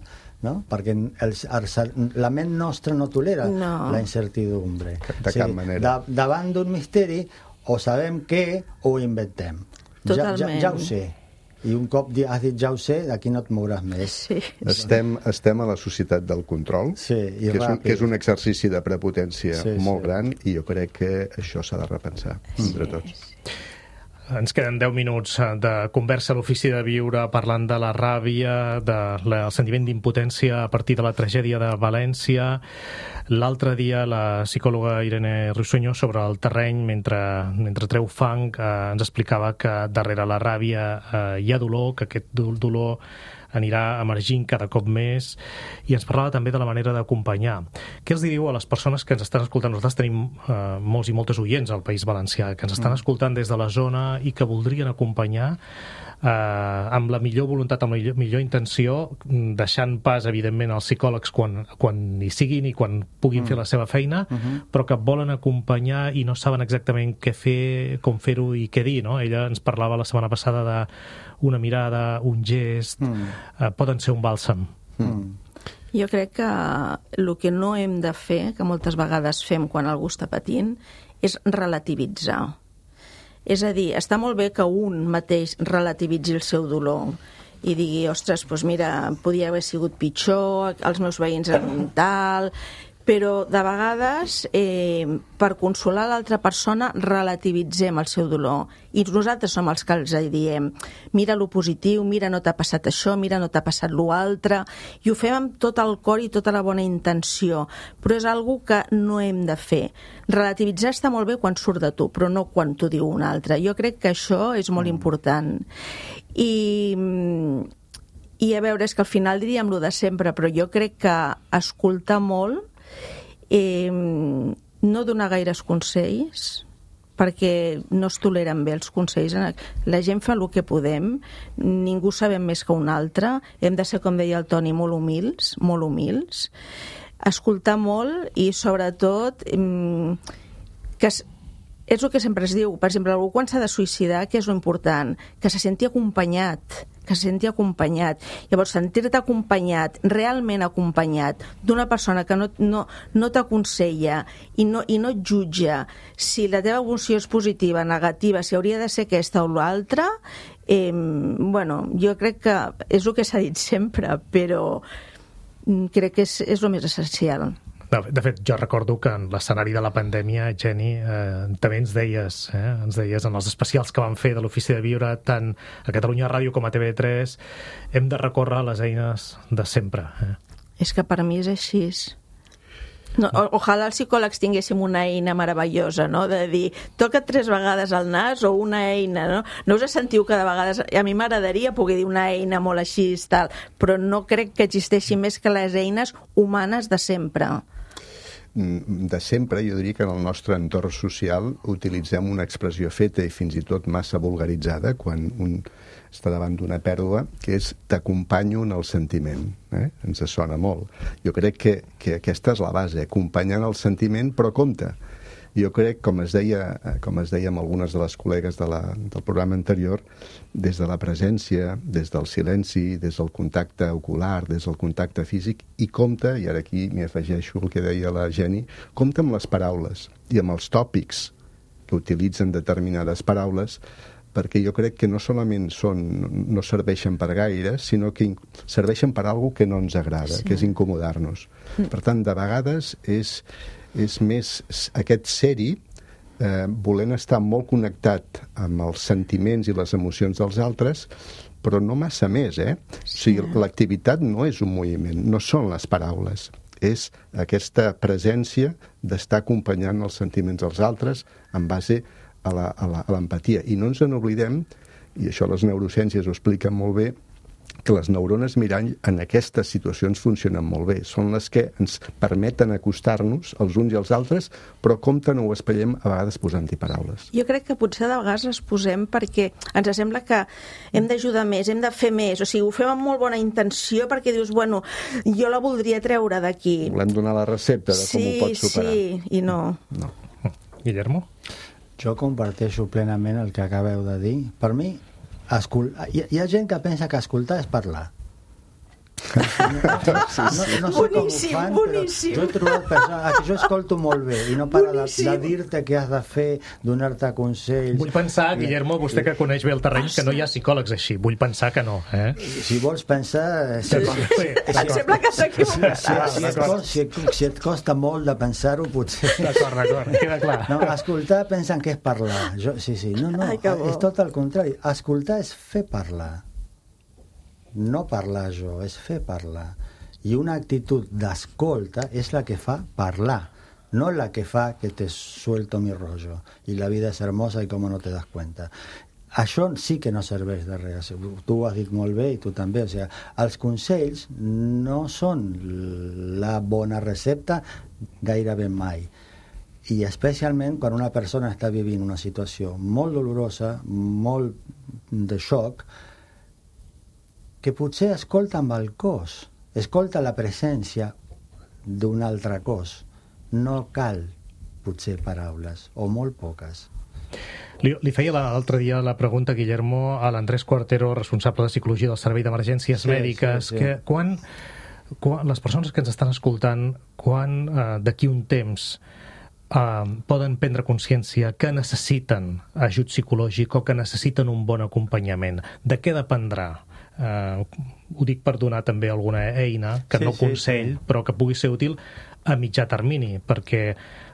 no? Perquè el, el, la ment nostra no tolera no. la incertidumbre. De cap manera. Da, davant d'un misteri o sabem què o ho inventem. Ja, ja, ja ho sé. I un cop has dit ja ho sé, d'aquí no et mouràs més. Sí. Estem, estem a la societat del control, sí, i que, és un, que és un exercici de prepotència sí, molt sí. gran, i jo crec que això s'ha de repensar sí. entre tots. Ens queden deu minuts de conversa a l'Ofici de Viure parlant de la ràbia, del sentiment d'impotència a partir de la tragèdia de València. L'altre dia la psicòloga Irene Rusuño sobre el terreny, mentre, mentre treu fang, eh, ens explicava que darrere la ràbia eh, hi ha dolor, que aquest dolor anirà emergint cada cop més, i ens parlava també de la manera d'acompanyar. Què els diu a les persones que ens estan escoltant? Nosaltres tenim eh, molts i moltes oients al País Valencià, que ens estan mm. escoltant des de la zona i que voldrien acompanyar eh, amb la millor voluntat, amb la millor, millor intenció, deixant pas, evidentment, als psicòlegs quan, quan hi siguin i quan puguin mm. fer la seva feina, mm-hmm. però que volen acompanyar i no saben exactament què fer, com fer-ho i què dir, no? Ella ens parlava la setmana passada de una mirada, un gest, mm. eh, poden ser un bàlsam. Mm. Jo crec que el que no hem de fer, que moltes vegades fem quan algú està patint, és relativitzar. És a dir, està molt bé que un mateix relativitzi el seu dolor i digui, ostres, doncs mira, podia haver sigut pitjor, els meus veïns eren tal... Però de vegades, eh, per consolar l'altra persona, relativitzem el seu dolor. I nosaltres som els que els diem, mira lo positiu, mira no t'ha passat això, mira no t'ha passat lo altre, i ho fem amb tot el cor i tota la bona intenció. Però és algo que no hem de fer. Relativitzar està molt bé quan surt de tu, però no quan t'ho diu un altre. Jo crec que això és molt important. I... I a veure, és que al final diríem lo de sempre, però jo crec que escoltar molt, eh, no donar gaires consells, perquè no es toleren bé els consells. La gent fa el que podem, ningú sabem més que un altre, hem de ser, com deia el Toni, molt humils, molt humils, escoltar molt i, sobretot, que es, és el que sempre es diu. Per exemple, algú quan s'ha de suïcidar, què és l'important? Que se senti acompanyat, que se senti acompanyat. Llavors, sentir-te acompanyat, realment acompanyat, d'una persona que no, no, no t'aconsella i no, i no et jutja si la teva emoció és positiva, negativa, si hauria de ser aquesta o l'altra, eh, bueno, jo crec que és el que s'ha dit sempre, però crec que és, és el més essencial. De fet, jo recordo que en l'escenari de la pandèmia, Jenny, eh, també ens deies, eh, ens deies en els especials que vam fer de l'Ofici de Viure, tant a Catalunya Ràdio com a T V tres, hem de recórrer a les eines de sempre. Eh? És que per mi és així. No, o, ojalà els psicòlegs tinguéssim una eina meravellosa, no? De dir, toca tres vegades al nas o una eina, no? No us sentiu cada vegada... A mi m'agradaria poder dir una eina molt així, tal, però no crec que existeixi més que les eines humanes de sempre. De sempre, jo diria que en el nostre entorn social utilitzem una expressió feta i fins i tot massa vulgaritzada quan un està davant d'una pèrdua, que és t'acompanyo en el sentiment. Eh? Ens sona molt. Jo crec que, que aquesta és la base, acompanyant el sentiment, però compte. Jo crec, com es deia, com es deia amb algunes de les col·legues de la, del programa anterior, des de la presència, des del silenci, des del contacte ocular, des del contacte físic, i compte, i ara aquí m'hi afegeixo el que deia la Jenny, compte amb les paraules i amb els tòpics que utilitzen determinades paraules, perquè jo crec que no solament són, no serveixen per gaire, sinó que serveixen per alguna que no ens agrada, sí. que és incomodar-nos. Per tant, de vegades és... és més aquest ser-hi, eh, volent estar molt connectat amb els sentiments i les emocions dels altres, però no massa més, eh? Sí. O sigui, l'activitat no és un moviment, no són les paraules, és aquesta presència d'estar acompanyant els sentiments dels altres en base a la, a la, a l'empatia. I no ens en oblidem, i això les neurociències ho expliquen molt bé, que les neurones mirall en aquestes situacions funcionen molt bé. Són les que ens permeten acostar-nos els uns i els altres, però compte no ho espellem a vegades posant-hi paraules. Jo crec que potser de vegades les posem perquè ens sembla que hem d'ajudar més, hem de fer més, o sigui, ho fem amb molt bona intenció perquè dius, bueno, jo la voldria treure d'aquí. Volem donar la recepta de com sí, ho pots superar. Sí, i no. no. Guillermo? Jo comparteixo plenament el que acabeu de dir. Per mi, escol... hi, hi ha gent que pensa que escoltar és parlar. No, no, no sé boníssim, com ho fan, boníssim. però jo he trobat persones que jo escolto molt bé i no para de, de dir-te què has de fer, donar-te consells. Vull pensar, Guillermo, vostè que coneix bé el terreny, que no hi ha psicòlegs així. Vull pensar que no, eh? Si vols pensar... Si, sí, sí, em sembla que s'equivocarà. Si, si, et costa, si, si et costa molt de pensar-ho, potser... D'acord, d'acord, queda clar. No, escoltar pensen que és parlar. Jo, sí, sí, no, no, Ai, és tot el contrari. Escoltar és fer parlar. No parlar jo, és fer parlar. I una actitud d'escolta és la que fa parlar, no la que fa que te suelto mi rollo i la vida és hermosa i com no te das cuenta. Això sí que no serveix de res. Tu ho has dit molt bé i tu també. O sigui, els consells no són la bona recepta gairebé mai. I especialment quan una persona està vivint una situació molt dolorosa, molt de xoc, que potser escolta amb el cos, escolta la presència d'un altre cos. No cal, potser, paraules, o molt poques. Li, li feia l'altre dia la pregunta, Guillermo, a l'Andrés Cuartero, responsable de Psicologia del Servei d'Emergències sí, Mèdiques, sí, sí. que quan, quan les persones que ens estan escoltant, quan eh, d'aquí un temps Uh, poden prendre consciència que necessiten ajut psicològic o que necessiten un bon acompanyament. De què dependrà? Uh, ho dic per donar també alguna eina, que sí, no consell, sí, sí. però que pugui ser útil a mitjà termini, perquè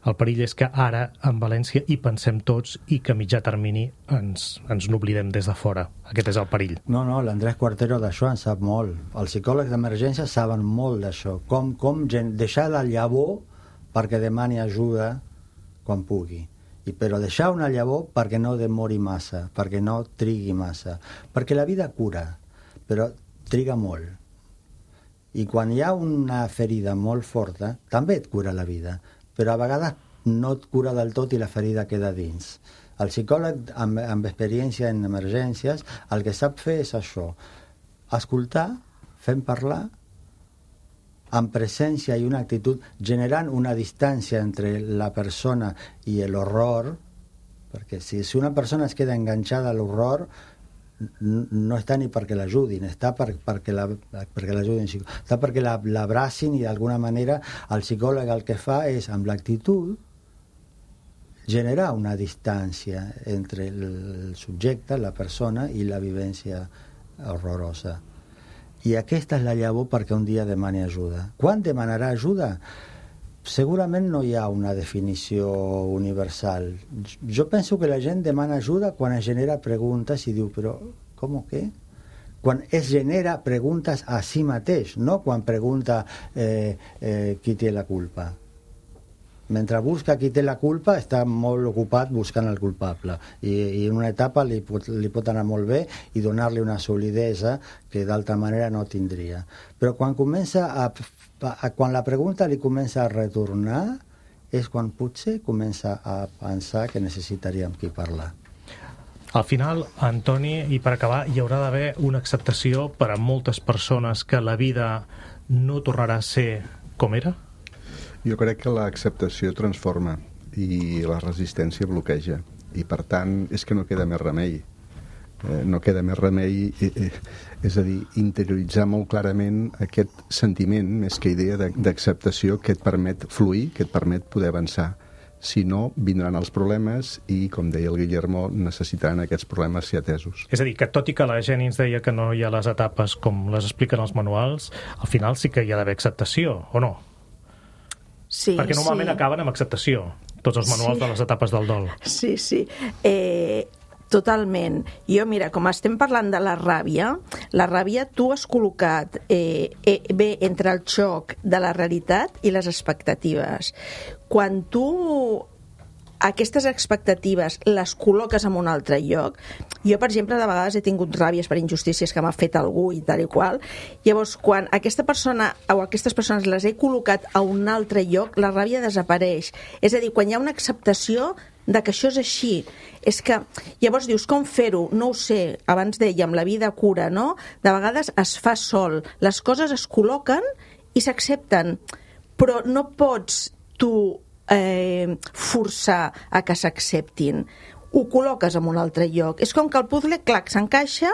el perill és que ara en València hi pensem tots i que a mitjà termini ens, ens n'oblidem des de fora. Aquest és el perill. No, no, l'Andrés Cuartero d'això en sap molt. Els psicòlegs d'emergència saben molt d'això. Com, com deixar la llavor perquè demani ajuda quan pugui. I però deixar una llavor perquè no demori massa, perquè no trigui massa. Perquè la vida cura, però triga molt. I quan hi ha una ferida molt forta, també et cura la vida, però a vegades no et cura del tot i la ferida queda dins. El psicòleg amb, amb experiència en emergències el que sap fer és això, escoltar, fent parlar, amb presència i una actitud, generant una distància entre la persona i l'horror, perquè si, si una persona es queda enganxada a l'horror, no està ni perquè l'ajudin, està per, perquè la, perquè l'ajudin, està perquè la, l'abracin i d'alguna manera el psicòleg el que fa és, amb l'actitud, generar una distància entre el subjecte, la persona, i la vivència horrorosa. I aquesta és la llavor perquè un dia demani ajuda. Quan demanarà ajuda? Segurament no hi ha una definició universal. Jo penso que la gent demana ajuda quan es genera preguntes i diu, però com què? Quan es genera preguntes a si mateix, no quan pregunta eh, eh, qui té la culpa. Mentre busca qui té la culpa està molt ocupat buscant el culpable i, i en una etapa li pot, li pot anar molt bé i donar-li una solidesa que d'altra manera no tindria. Però quan comença a, a quan la pregunta li comença a retornar és quan potser comença a pensar que necessitaríem qui parlar. Al final, Antoni, i per acabar, hi haurà d'haver una acceptació per a moltes persones que la vida no tornarà a ser com era? Jo crec que l'acceptació transforma i la resistència bloqueja. I, per tant, és que no queda més remei. Eh, no queda més remei, eh, eh, és a dir, interioritzar molt clarament aquest sentiment, més que idea d'acceptació, que et permet fluir, que et permet poder avançar. Si no, vindran els problemes i, com deia el Guillermo, necessitaran aquests problemes ser atesos. És a dir, que tot i que la Jenny ens deia que no hi ha les etapes com les expliquen els manuals, al final sí que hi ha d'haver acceptació, o no? Sí, perquè normalment sí. acaben amb acceptació, tots els manuals sí. de les etapes del dol. Sí, sí. Eh, totalment. Jo, mira, com estem parlant de la ràbia, la ràbia tu has col·locat eh, eh, bé entre el xoc de la realitat i les expectatives. Quan tu aquestes expectatives les col·loques en un altre lloc. Jo, per exemple, de vegades he tingut ràbies per injustícies que m'ha fet algú i tal i qual. Llavors, quan aquesta persona o aquestes persones les he col·locat a un altre lloc, la ràbia desapareix. És a dir, quan hi ha una acceptació de que això és així, és que llavors dius, com fer-ho? No ho sé, abans dèiem, la vida cura, no? De vegades es fa sol, les coses es col·loquen i s'accepten, però no pots tu eh, forçar a que s'acceptin. Ho col·loques en un altre lloc. És com que el puzzle, clac, s'encaixa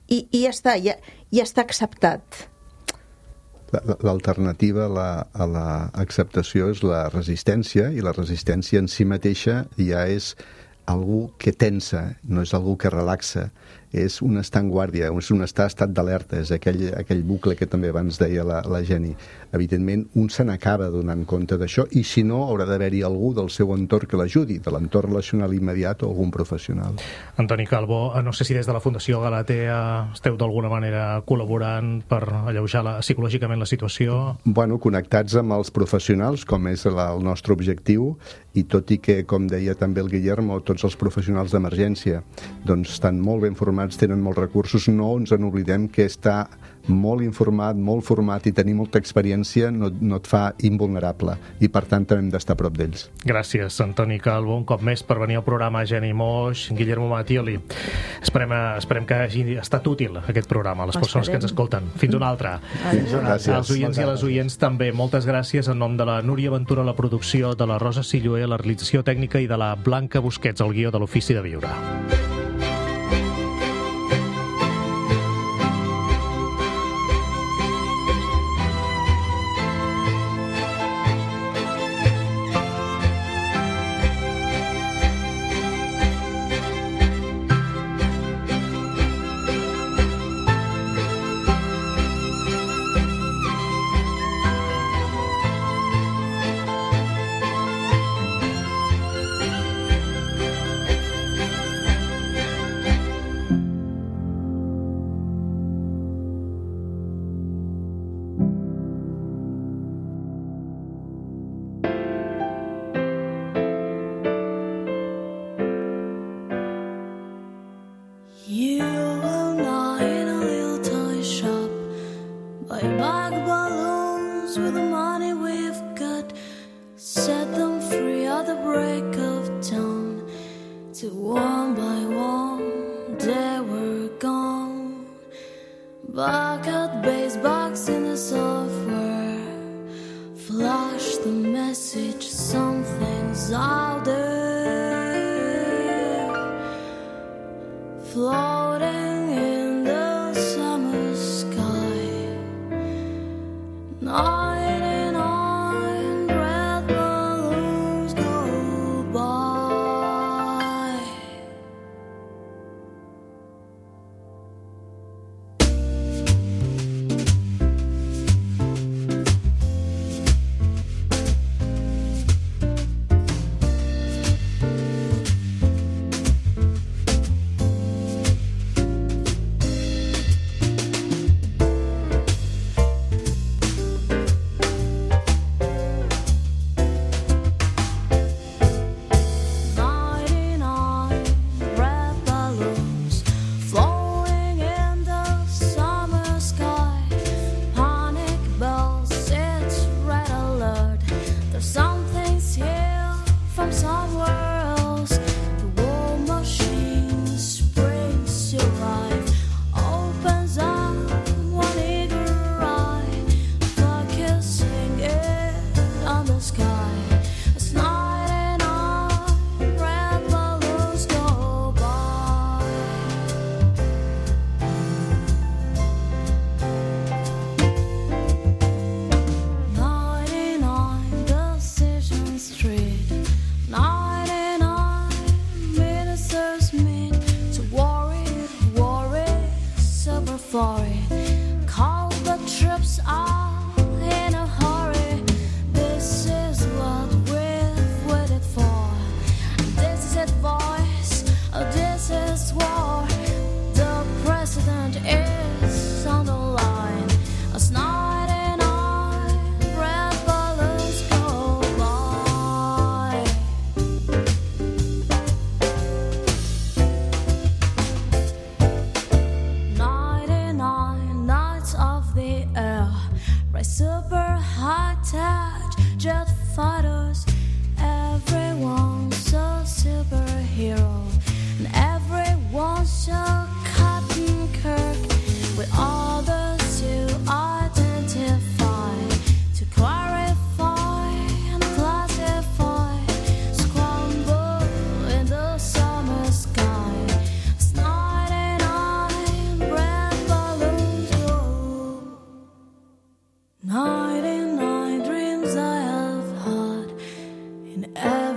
i, i ja està, ja, ja està acceptat. L'alternativa a l'acceptació és la resistència, i la resistència en si mateixa ja és algú que tensa, no és algú que relaxa, és un estar en guàrdia, és un estar estat d'alerta, és aquell, aquell bucle que també abans deia la, la Jenny. Evidentment, un se n'acaba donant compte d'això, i si no, haurà d'haver-hi algú del seu entorn que l'ajudi, de l'entorn relacional immediat o algun professional. Antoni Calvo, no sé si des de la Fundació Galatea esteu d'alguna manera col·laborant per alleujar la, psicològicament la situació? Bueno, connectats amb els professionals, com és la, el nostre objectiu, i tot i que, com deia també el Guillermo, tots els professionals d'emergència doncs estan molt ben formats, tenen molts recursos, no ens en oblidem que està molt informat, molt format i tenir molta experiència no, no et fa invulnerable, i per tant també hem d'estar a prop d'ells. Gràcies, Antoni Calvo, un cop més per venir al programa. Jenny Moix, Guillermo Mattioli, esperem, esperem que hagi estat útil aquest programa a les persones que ens escolten. Fins una altra. Gràcies. Als oients i a les oients també, moltes gràcies en nom de la Núria Ventura, la producció, de la Rosa Silloé, la realització tècnica, i de la Blanca Busquets, el guió de l'Ofici de Viure.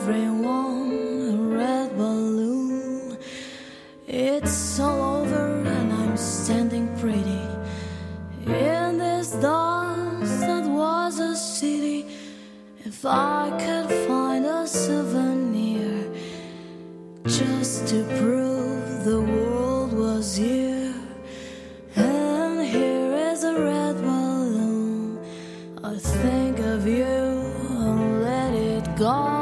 everyone a red balloon. It's all over and I'm standing pretty in this dust that was a city. If I could find a souvenir just to prove the world was here, and here is a red balloon, I think of you and let it go.